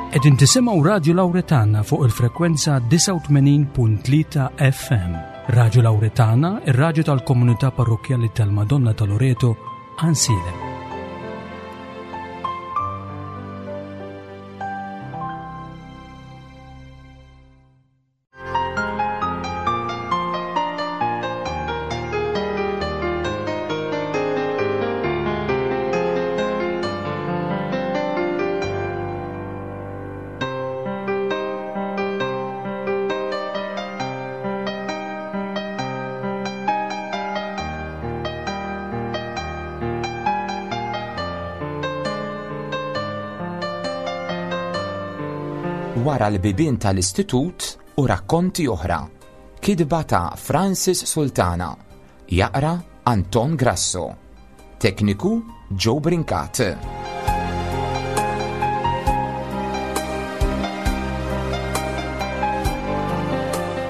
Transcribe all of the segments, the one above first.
Qegħdin tisimgħu Radju Lawretana fuq il-frekwenza 89.3 FM. Radju Lawretana, ir-radju tal-komunità parrokkjali tal-Madonna ta' Loreto, Għansielem. Wara l-bibien tal-istitut u rakkonti oħra. Kitba ta' Francis Sultana. Jaqra Anton Grasso. Tekniku Joe Brincat.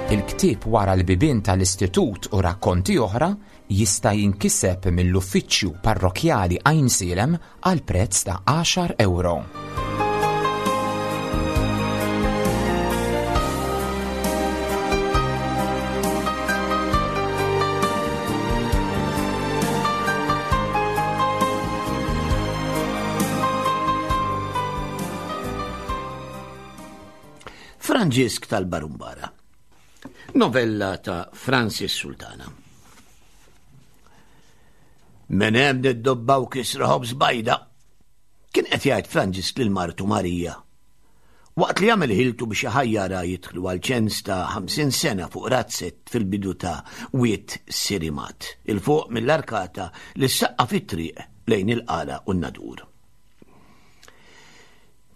Il-ktieb Wara l-bibien tal-istitut u rakkonti oħra jista' jinkiseb mill-Uffiċċju Parrokkjali Għajnsielem għal prezz ta' għaxar ewro. Franġisk tal-Barumbara. Novella ta' Francis Sultana. Minn hemm niddobbaw kisra ħobż bajda. Kien qed jgħid Franġisk lil martu Marija. Waqt li għamel ħiltu biex iħajjarha jidħlu għal ċens ta' 50 sena fuq razzett fil-bidu ta' Wied Sirimat, 'il fuq mill-arkata li ssaqqa fit-triq lejn il-Qala u n-Nadur.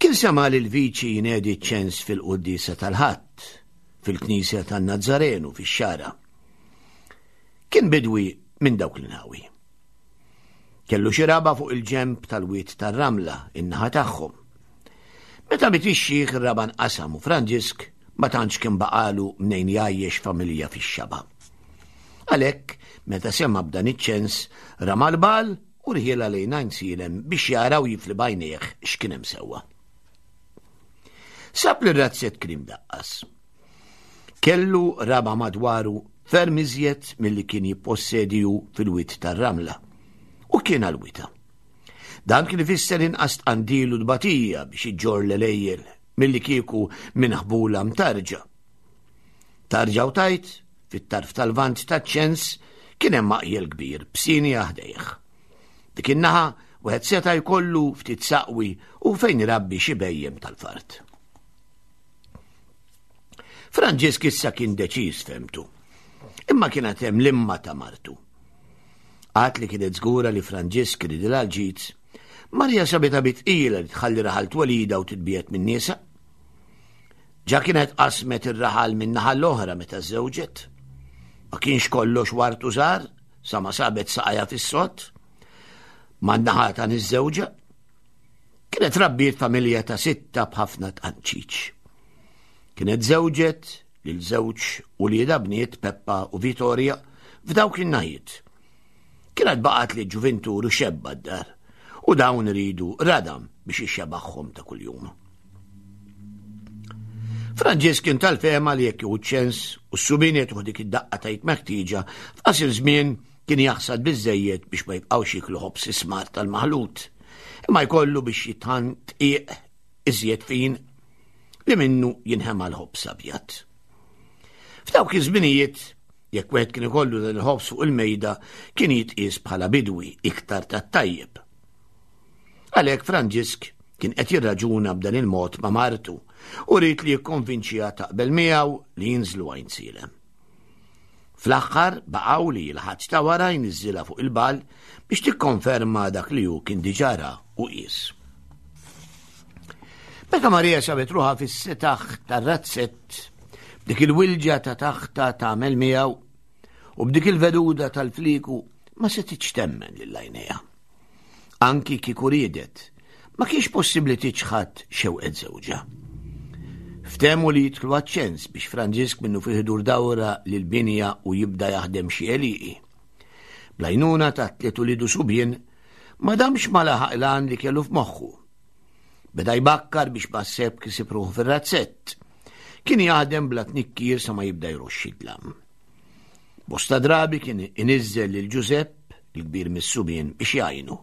Kien sema' lill-viċi jnedi ċ-ċens fil-quddiesa tal-Ħadd fil-Knisja tan-Nazzarenu fix-Xagħra. Kien bidwi minn dawk l-inħawi. Kellu xi raba' fuq il-ġenb tal-wied tar-Ramla, in-naħa tagħhom. Meta miet ix-xiħ ir-raba' nqasam u Franġisk ma tantx kien baqagħlu mnejn jgħajjex familja fix-xaba'. Għalhekk, meta sema' b'dan iċ-ċens, rama l-bagħal u rħielha lejn Għajnsielem biex jara u jifli b'għajnejh x'kien hemm sewwa. Sab li r-razzett kien imdaqqas. Kellu raba' madwaru ferm iżjed milli kien jippossedi hu fil-wied tar-Ramla, u kien għall-wita. Dan kien ifisser inqas tqandil u tbatija biex iġġorr l-għelejjel milli kieku minn ħbula mtarġa. Tarġa u tajt, fit-tarf tal-Lvant taċ-ċens kien hemm maqjel kbir b'sienja ħdejh. Dik in-naħa wieħed seta' jkollu ftit saqwi u fejn irabbi xi bhejjem tal-fart. Franġisk issa kien deċiż femtu. Imma kien għad hemm l-imma ta' martu. Għad li kienet żgura li Franġisk ridilha l-ġid, Marja sabitha bi tqila li tħalli raħal twelida u titbiegħed minn niesha. Ġa kienet qasmet ir-raħal minn naħa l-oħra meta żżewġet. Ma kienx kollox wartu żgħar sa ma sabet saqajha fis-sod. Man-naħa ta' niż-żewġa. Kienet rabbiet familja ta' sitta b'ħafna tqanċiċ. Kienet żewġet lil żewġ uliedha bniet Peppa u Vittoria f'dawk in-naħiet. Kienet baqgħet li ġuvintur u xebba d-dar u dawn iridu radam biex ixxebaħħom ta' kuljum. Franġisk kien tal-fehma li jekk jieħu ċens u s-subien jagħtuh dik id-daqqa tajt meħtieġa f'qasir żmien kien jaħsad biżżejjed biex ma jibqgħux jiklu ħobż ismar tal-maħlut, imma jkollu biex jitħan dqiq iżjed fin li minnu jinħema l-ħobż abjad. F'dawk iż-żminijiet, jekk wieħed kien ikollu dan il-ħobż fuq il-mejda, kien jitqies bħala bidwi iktar tat-tajjeb. Għalhekk Franġisk kien qed jirraġuna b'dan il-mod ma' martu u ried li jikkonvinċiha taqbel miegħu li jinżlu Għajnsielem. Fl-aħħar baqgħu li l-Ħadd ta' wara jniżżilha fuq il-bal biex tikkonferma dak li hu kien diġà ra u qies. Meta Marija sabet ruħha fis-setaħ tar-razzett, b'dik il-wilġa ta' taħta tagħmel miegħu u b'dik il-veduda tal-fliku ma setitx temmen lil għajnejha. Anki kieku riedet, ma kienx possibbli tiċħad xewqet żewġha. Ftehmu li jidħlu għaċ-ċens biex Franġisk minnu fih idur dawra lill-binja u jibda jaħdem xi għelieqi. Bl-għajnuna ta' tliet uliedu subien, ma damx ma laħaq l-għan li kellu f'moħħu. Beda jbakkar biex basseb kisib ruħu fir-razzett. Kien jaħdem bla tnikkir sa ma jibda jroxxi dlam. Bosta drabi kien iniżżel lil Ġużepp, il-kbir mis-subien, biex jgħinu.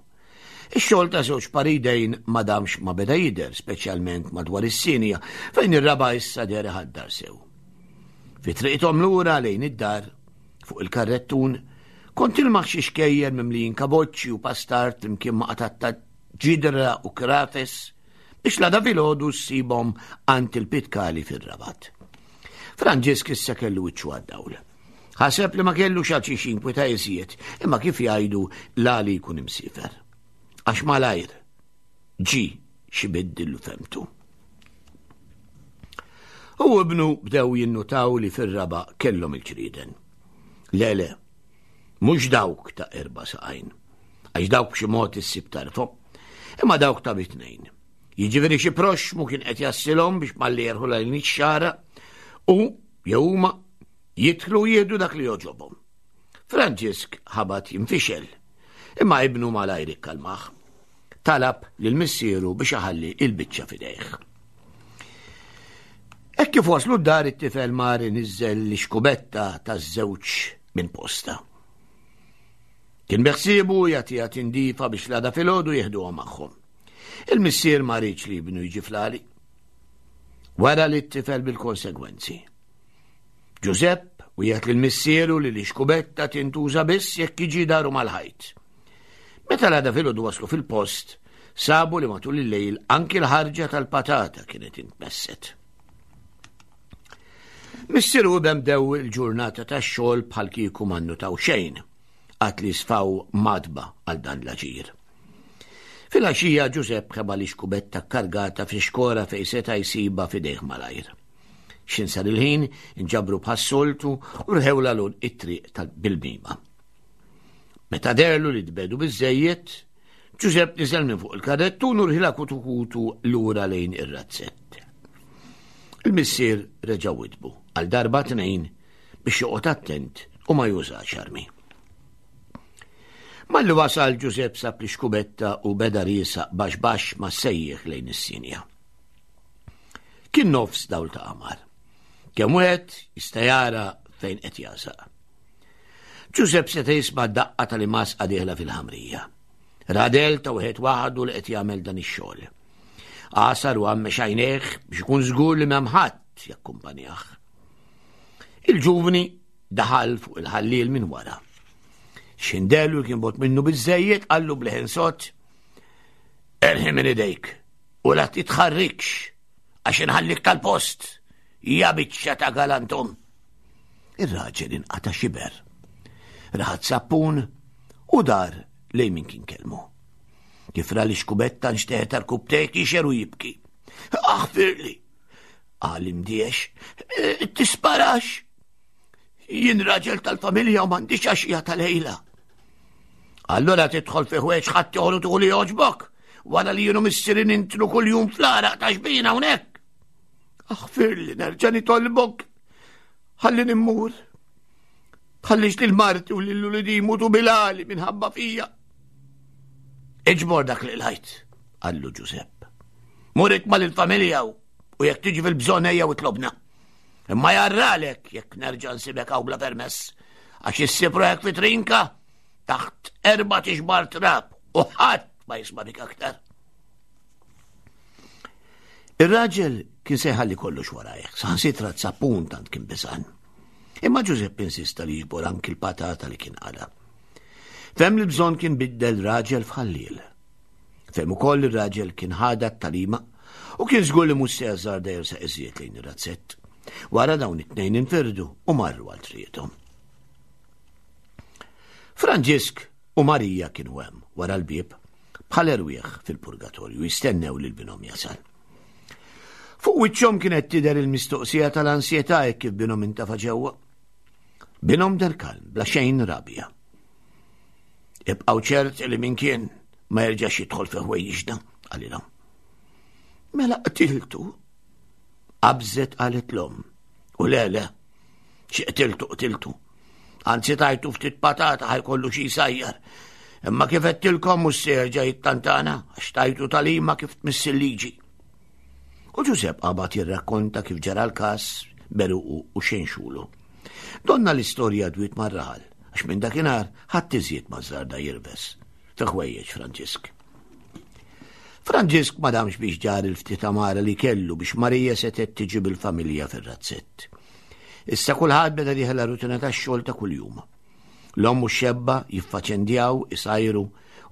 Ix-xogħol ta' żewġ paridejn ma damx ma beda jidher, speċjalment madwar is-sinja, fejn ir-raba' issa deher iħaddar sew. Fi triqithom lura lejn id-dar, fuq il-karrettun, kont tilmaħ xi xkejjer mimlijin kaboċċi u pastart flimkien ma' qatatta ġidra u krafes biex l-għada filgħodu ssibhom għand il-pitkali fir-Rabat. Franġisk issa kellu wiċċu għad-dawl. Ħaseb li ma kellux għal xi xinkwita iżjed, imma kif jgħidu l-għali jkun imsifer. Għax malajr ġi xi biddillu femtu. U ibnu bdew jinnutaw li fir-raba kellhom il-ġrieden. Le, le, Mhux dawk ta' erba' saqajn, għax dawk b'xi mod issib tarfhom, imma dawk ta' bitnejn. Jiġifieri xi proxxmu kien qed jassilhom biex malli jerħu lejn ix-xara u jew huma jidħlu jieħdu dak li jogħġobhom. Franġisk ħabat jinfixel, imma ibnu malajr ikkalmah. Talab lil missieru biex iħalli il-biċċa f'idejh. Hekk kif waslu d-dar it-tifel mar iniżżel l-ixkubetta taż-żewġ minn posta. Kien beħsiebu jagħtiha tindifa biex l-għada filgħodu jieħduha magħhom. Il-missier ma riedx li ibnu jiġi flali. Wara li t-tifel bil-konsegwenzi. Ġużepp wieħed lil missieru li l-ixkubetta tintuża biss jekk jiġi daru mal-ħajt. Meta l-għada filgħodu waslu fil-post, sabu li matul il-lejl anki l-ħarġa tal-patata kienet intmesset. Missier u ibem dew il-ġurnata tax-xogħol bħal kieku ma nnutaw xejn, għad li sfaw madba għal dan l-aġir. Fil-għaxija Ġużepp ħeba li xkubetta kargata fi xkora fejn seta' jsibha f'idejh malajr. X'in sar il-ħin, inġabru bħas-soltu u rħewla l it-triq tal-bilmima. Meta derlu li tbedu biżejjed, Ġużepp niżel minn fuq il-karrettun u rħila kutu kutu lura lejn ir-razzett. Il-missier reġa' witbu għal darba tnejn biex joqgħod attent u ma jużax armi. Malli wasal Ġużepp sab li xkubetta u beda riesaq baxx baxx ma sejjeħ lejn is-sinja. Kien nofs dawl ta' qamar. Kemm wieħed jista' jara fejn qed jasaq. Ġużepp seta' jisma' daqqa tal-imasqa dieħla fil-ħamrija. Radel ta' wieħed waħdu li qed jagħmel dan ix-xogħol. Għasar u għammex għajnejh biex ikun żgur li m'hemm ħadd jakkumpanjah. Il-ġuvni daħal fuq il-ħalliel minn wara. Xindellu kien bot minnu biżejjed qallu bleħen sott erħi minn idejk u la titħarrikx għax inħallik tal-post ja biċċa ta' galantom. Ir-raġel inqata' xiber. Raħat sappun u dar lejn min kien kelmu. Kif ra li xkubetta nxteħet għal-kubtejk jixer u jibki. Aħfirli! Qal imdiex, e, tisparax! Jien raġel tal-familja u m'għandix għaxija tal-lejla. Allura tidħol fi ħwejġ ħadd joħru tuħu li joġbok, wara li jienu missirin intlu kuljum fl-għaraq ta' xbina hawnhekk. Aħfirli nerġa' nitolbok. Ħallini mmur. Tħallix lil marti u lil ulidi jmutu bilali minħabba fija. Iġbor dak li lajt, qallu Ġusepp. Murik mal il-familja u jekk tiġi fil-bżonn ejja u tlobna. Imma jarralek jekk nerġa' nsibek hawn bla permess, għax issib ruħek fi trinka taħt erba' tixbar trab u ħadd ma jisma' bik aktar. Ir-raġel kien se jħalli kollox warajh, saħansitra t-sappun tant kien biżan. Imma Ġużepp insista li jiġbor anki l-patata li kien qala. Fem li bżonn kien biddel raġel f'ħalliel. Fem ukoll li raġel kien ħada t-talima u kien żgur li mhux se jażżarda jersa iżjed lejn ir-razzett. Wara dawn it-tnejn infirdu u marru għal triqthom. Franġisk U Marija kienu hemm, wara l-bieb, bħal erwieħ fil-purgatorju, jistennew lil binhom jasal. Fuq wiċċhom kienet tidher il-mistoqsija tal-ansjetà hekk kif binhom intafa' ġewwa. Binhom der kalm, bla xejn rabja. Ibqgħu ċert li min kien ma jerġax jidħol fi ħwejjiġna, qalilhom. Mela qtiltu. Qabżet qalet l-omm. U le, le, xi qtiltu qtiltu. Anzi tajtu ftit patata ħajkollu xi jsajjar. Imma kif għedtilkom mhux se jerġa' jittantana għax tajtu tagħlima kif tmiss il-liġi. U Ġużepp qabad jirrakkonta kif ġara l-każ beruqu u xenxulu. Donna l-istorja dwiet mar-raħal għax minn dakinhar ħadd iżjed ma żarda jirves fi ħwejjeġ Franġisk. Franġisk ma damx biex ġar il-ftit amara li kellu biex Marija setgħet tiġi bil-familja fir-razzett. Issa kulħadd beda dieħel rutina tax-xogħol ta' kuljum. L-omm u x-xebba jiffaċendjaw, isajru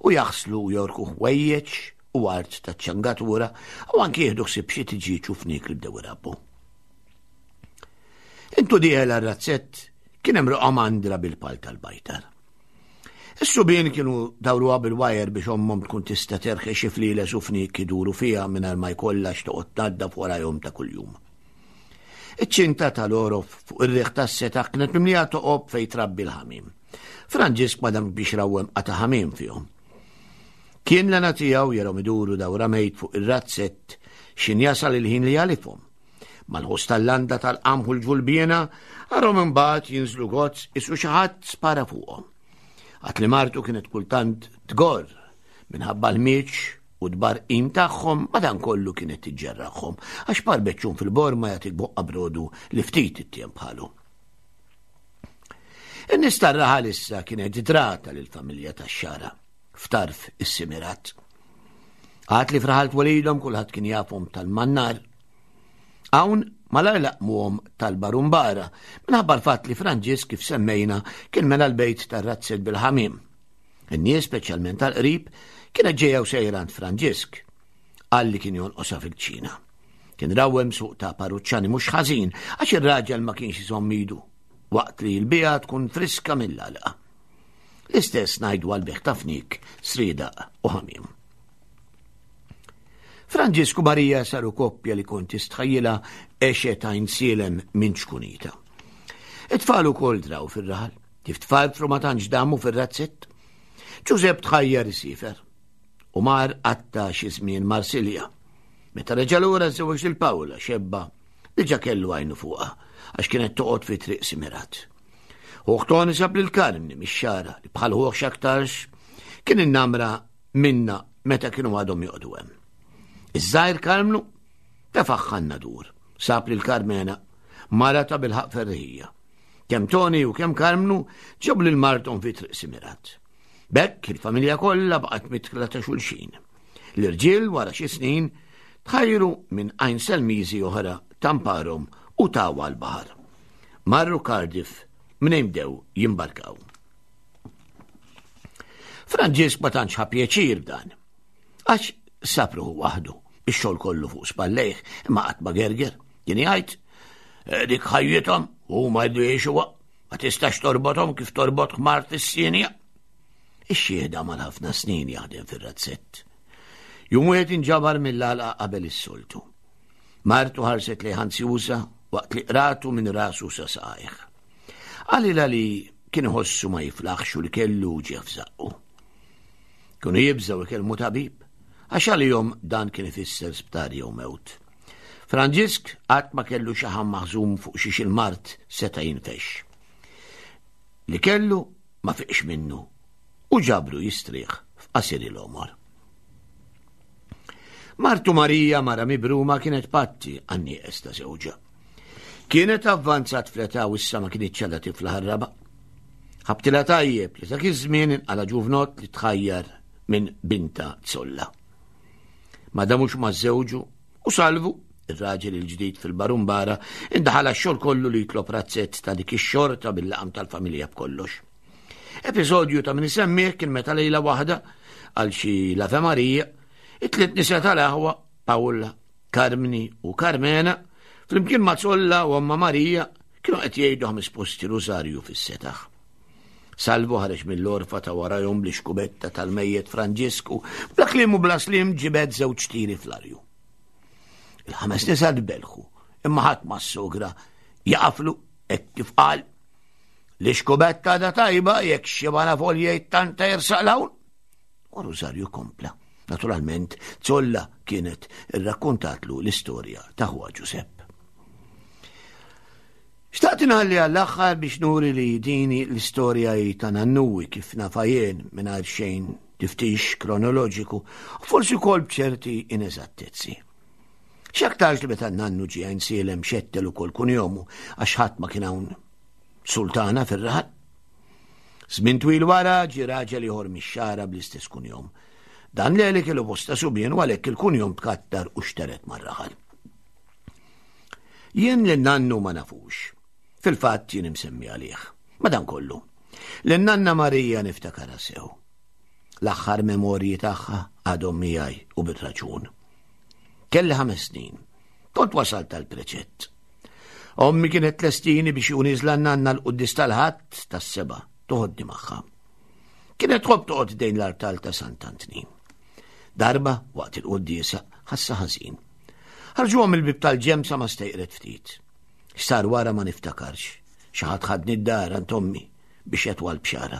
u jaħslu u jorku ħwejjeġ u art taċ-ċangatura u anki jieħdu ħsieb xi tiġieġ u fniek li bdew irabbu. Intu dieħel għar-razzett kien hemm roqgħa mandra bil-pal tal-bajtar. Is-subien kienu dawruha bil-wajer biex ommhom tkun tista' terħi xi flieles u fniek iduru fiha mingħajr ma jkollha x'toqgħod tnaddaf warajhom ta' kuljum. Iċ-ċinta tal-għorof fuq ir-riħ tas-setaħ kienet mimlija toqob fejn trabbi l-ħamiem. Franġisk ma damx biex rawwem qata' ħamiem fihom. Kien l-għana tiegħu jarhom iduru dawra mejt fuq ir-razzett x'in jasal il-ħin li jagħlifhom. Mal-ħoss tal-landa tal-qamħ u l-ġulbiena, arhom imbagħad jinżlu gozz isu xi ħadd spara fuqhom. Għad li martu kienet kultant tgorr minħabba l-mieċ u t-tbarqim tagħhom madankollu kienet tiġġerraħhom għax par beċċun fil-borma jagħtik boqqa brodu li ftit ittiem bħalu. In-nies tar-raħal issa kienet drata lill-familja tax-xara f'tarf is-simirat. Għad li fraħal twelidhom kulħadd kien jafhom tal-mannar. Hawn malajr laqmuhom tal-barumbara minħabba l-fatt li Franġisk kif semmejna kien mela l-bejt tar-razzett bil-ħamiem. In-nies, speċjalment tal-qrib, kienet ġejja u sejra għand Franġisk. Qal li kien jonqosha fil-kċina. Kien rawwem suq ta' parruċċani mhux ħażin għax ir-raġel ma kienx iżomm idu waqt li l-bija tkun friska mill-għalqa. L-istess ngħidu għal bejgħ ta' fniek, sriedaq u ħamiem. Franġisku Marija saru koppja li kont tistħajjilha għexet Għajnsielem minn ċkunita. It-tfal ukoll draw fir-raħal. Kif tfarfru ma tantx damu fir-razzett. Ġużepp tħajjar isiefer u mar qatta xi żmien Marsilja. Meta reġa' lura żewweġ lil Pawla xebba li ġa kellu għajnu fuqha għax kienet toqgħod fi triq Simirat. Ħuh Toni sab lil Karmni mix-xara li bħal ħuh x'aktarx kien innamra minna meta kienu għadhom joqogħdu hemm. Iż-żgħir Karmnu tefaħħa n-nadur, sab lil Karmena mara ta' bilħaq ferriħija. Kemm Toni u kemm Karmnu ġabu lil marthom fi Triq Simirat. B'hekk il-familja kollha baqgħet mitkla ta' xulxin. L-irġiel wara xi snin tħajru minn għajn Selmiżi oħra tamparhom u tawa l-baħar. Marru Cardiff mnejn bdew jimbarkaw. Franġisk ma tantx ħa pjaċir b'dan. Għax sab ruħu waħdu, ix-xogħol kollu fuq spallejh, imma qatt ma gerger. Kien jgħid, eh, dik ħajjithom huma jridu jgħixuha, ma tistax torbothom kif torbot ħmar fis-sinja. Ix-xieħda mal ħafna snin jaħdem fir-razzett. Jum wieħed inġabar mill-għalqa qabel is-soltu. Martu ħarset li ħanzjuża waqt li qratu minn rasu sa saqajh. Qalilha li kien iħossu ma jiflaħx u li kellu uġigħ f'żaqqu. Kienu jibżgħu ikellmu tabib, għax għalihom dan kien ifisser sptar jew mewt. Franġisk qatt ma kellu xaħam maħżum fuq xiex il-mard seta' jinfexx. Li kellu ma fiqx minnu u ġabru jistrieħ f'qasir il-għomor. Martu Marija mara mibruma kienet patti għan-nieqes ta' żewġha. Kienet avvanzat fl-età u issa ma kinitx għadha tifla ħarraba. Ħabtilha tajjeb li dak iż-żmien inqala ġuvnott li tħajjar minn binta Zolla. Ma damux ma żewġu u Salvu, ir-raġel il-ġdid fil-Barumbara, indaħal għax-xogħol kollu li jitlob razzett ta' dik ix-xorta bil-laqam tal-familja b'kollox. Episodju ta' min isemmih kien meta lejla waħda għal xi l-Ave Marija, it-tliet nisa tal-aħwa, Pawla, Karmni u Karmena, flimkien ma' Zolla u Omma Marija, kienu qed jgħidu ħames posti rużarju fis-setaħ. Salvu ħareġ mill-orfa ta' warajhom li xkubetta tal-mejjet Franġisku, bla kliem u bla slim ġibed żewġ tiri fl-arju. Il-ħames nisa tbelħu, imma ħadd ma s-sogra jaqaflu hekk kif qal li xkubetta da tajba jekk xi folja jittanta jersaq l-hawn. U Rosario kompla. Naturalment, Zolla kienet irrakkontatlu l-istorja ta' ħuha Ġusepp. Xtaqt inħalli għall-aħħar biex nuri li din l-istorja hi ta' nannuwi kif nafha jien mingħajr xejn tiftix kronoloġiku u forsi wkoll b'ċerti ineżattezzi. X'aktarx li meta nannu ġie Għajnsielem xettel ukoll kunjomu għax ħadd ma kien hawn sultana fir-raħal. Żmien twil wara ġie raġel ieħor mix-Xagħra bl-istess kunjom. Dan Leli kellu bosta subien u għalhekk il-kunjom tkattar u xteret mar-raħal. Jien lil nannu ma nafux. Fil-fatt jien imsemmi għalih. Madankollu, lil nanna Marija niftakarha sew. L-aħħar memorji tagħha għadhom miegħi u bir-raġun. Kelli ħames snin. Kont wasalt tal-preċett. Ommi kienet tlestini biex u niżla nanna l-quddis tal-ħadd tas-seba' toħodni magħha. Kienet tħobb toqgħod dejn l-artal ta' Sant'Antnin. Darba, waqt il-quddiesa, ħassa ħażin. Ħarġuha mill-bieb tal-ġemb sa ma stejqret ftit. X'sar wara ma niftakarx. Xi ħadd ħadni d-dar għand ommi biex jatwa l-bxara.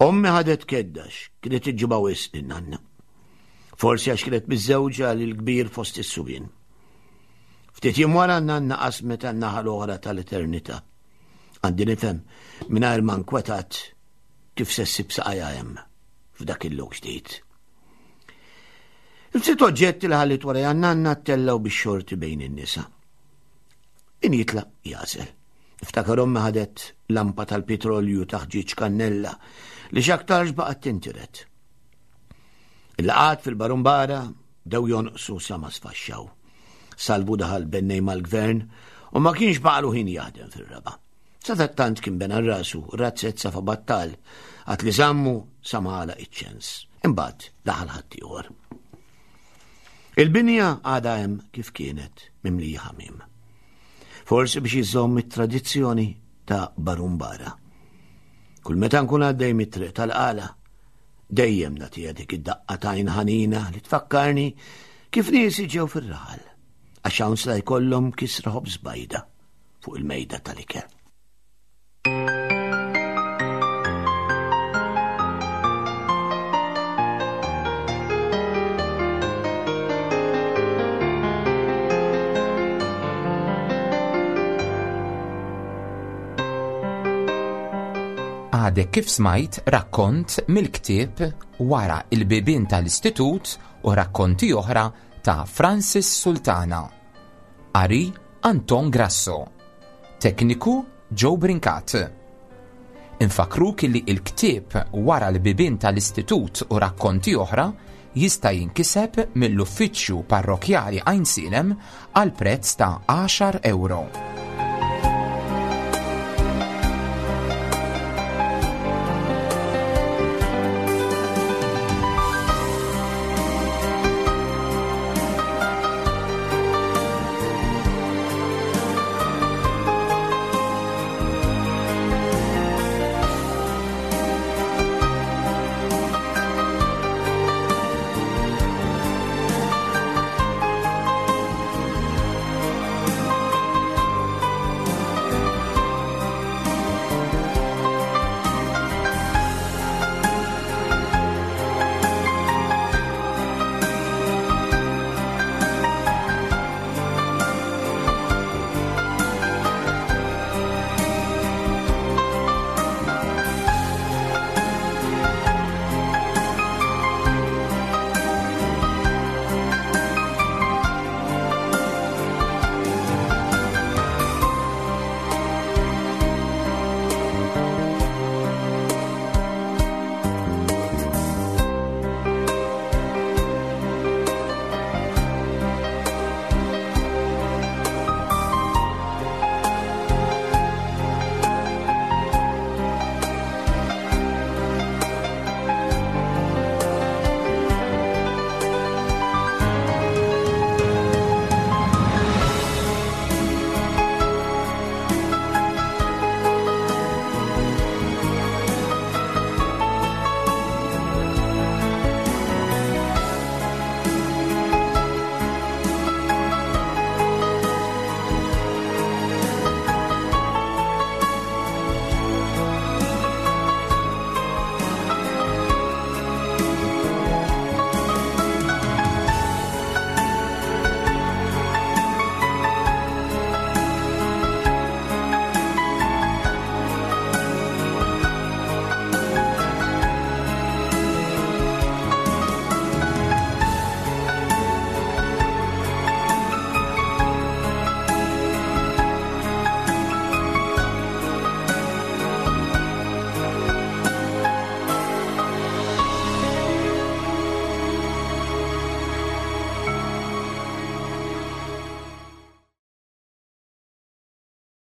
Ommi ħadet keddax, kienet iġġibha wisq lin-nanna. Forsi għax kienet miżżewġa lil kbir fost is-subien. Ftit jiem wara n-nanna qasmet għan-naħa l-oħra tal-eternità. Għandi nifhem mingħajr ma nkwetat kif se ssib saqajha hemm f'dak il-lok ġdid. Il-ftit oġġetti li ħallit wara nanna ttellgħu bix-xorti bejn in-nisa. Min jitlaq jażel. Niftakar ommi ħadet lampa tal-pitrolju ta' ħġieġ kannella li x'aktarx baqgħet tintiret. Il-laqgħat fil-Barumbara bdew jonqsu sa ma sfaxxaw. Salvu daħal bennej mal-gvern u ma kienx baqalu ħin jaħdem fir-raba'. Sadattant kien bena rasu razzett safa battal għad li żammu sa ma għalaq iċ-ċens. Imbagħad daħal ħaddieħor. Il-binja għadha hemm kif kienet mimlija ħamiem. Forsi biex iżomm it-tradizzjoni ta' Barumbara. Kull meta nkun għaddej mit-triq tal-qala, dejjem nagħtiha dik id-daqqa tajn ħanina li tfakkarni kif niesi ġew fir-raħal, għax hawn sla jkollhom kisra ħobż bajda. fuq il-mejda tal-ikel. Għadek kif smajt rakkont mill-ktieb Wara il-bibien tal-Istitut u rakkonti oħra ta' Francis Sultana. Qari Anton Grasso. Tekniku Joe Brincat. Infakruk li il-ktieb Wara l-bibien tal-Istitut u rakkonti oħra jista' jinkiseb mill-Uffiċċju Parrokkjali Għajnsielem għal prezz ta' għaxar ewro.